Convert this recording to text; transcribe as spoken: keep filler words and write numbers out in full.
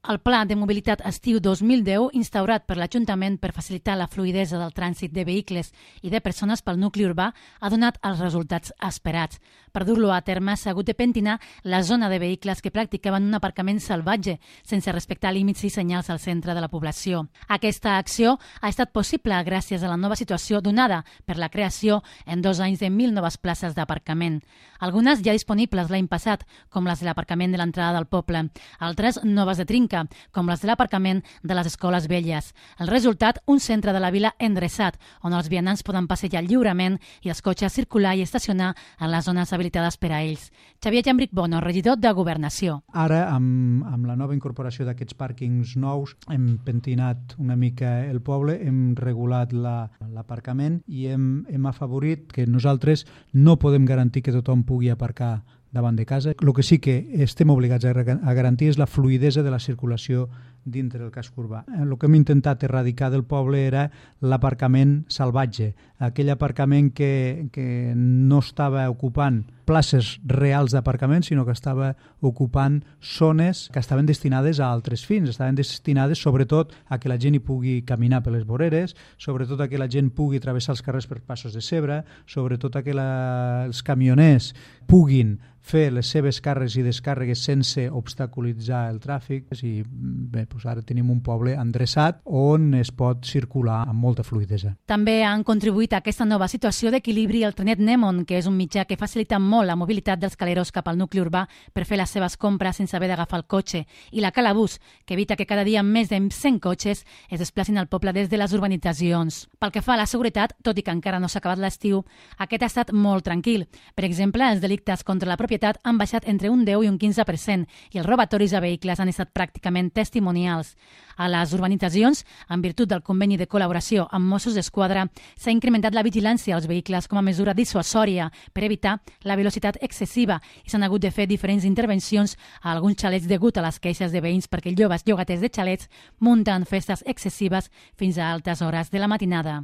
El Pla de Mobilitat Estiu dos mil deu, instaurat per l'Ajuntament per facilitar la fluïdesa del trànsit de vehicles i de persones pel nucli urbà, ha donat els resultats esperats. Per dur-lo a terme s'ha hagut de pentinar la zona de vehicles que practicaven un aparcament salvatge, sense respectar límits i senyals al centre de la població. Aquesta acció ha estat possible gràcies a la nova situació donada per la creació en dos anys de mil noves places d'aparcament. Algunes ja disponibles l'any passat, com les de l'aparcament de l'entrada del poble, altres noves de trinca, com les de l'aparcament de les escoles velles. El resultat, un centre de la vila endreçat, on els vianants poden passejar lliurement i els cotxes circular i estacionar en les zones habilitades per a ells. Xavier Llambric Bono, regidor de Governació. Ara, amb, amb la nova incorporació d'aquests pàrquings nous, hem pentinat una mica el poble, hem regulat l'aparcament i hem, hem afavorit que nosaltres no podem garantir que tothom pugui aparcar davant de casa. El que sí que estem obligats a garantir és la fluïdesa de la circulació dintre del casc urbà. El que hem intentat erradicar del poble era l'aparcament salvatge, aquell aparcament que, que no estava ocupant places reals d'aparcament, sinó que estava ocupant zones que estaven destinades a altres fins, estaven destinades sobretot a que la gent hi pugui caminar per les voreres, sobretot a que la gent pugui travessar els carrers per passos de zebra, sobretot a que la, els camioners puguin fer les seves càrregues i descàrregues sense obstaculitzar el tràfic. I bé, doncs ara tenim un poble endreçat on es pot circular amb molta fluïdesa. També han contribuït a aquesta nova situació d'equilibri el trenet Nemon, que és un mitjà que facilita molt la mobilitat dels caleros cap al nucli urbà per fer les seves compres sense haver d'agafar el cotxe, i la Calabús, que evita que cada dia més de cent cotxes es desplacin al poble des de les urbanitzacions. Pel que fa a la seguretat, tot i que encara no s'ha acabat l'estiu, aquest ha estat molt tranquil. Per exemple, els delictes contra la propietat han baixat entre un deu i un quinze per cent i els robatoris a vehicles han estat pràcticament testimonials. A les urbanitzacions, en virtut del conveni de col·laboració amb Mossos d'Esquadra, s'ha incrementat la vigilància als vehicles com a mesura dissuasòria per evitar la velocitat excessiva i s'han hagut de fer diferents intervencions a alguns xalets degut a les queixes de veïns perquè joves llogaters de xalets munten festes excessives fins a altes hores de la matinada.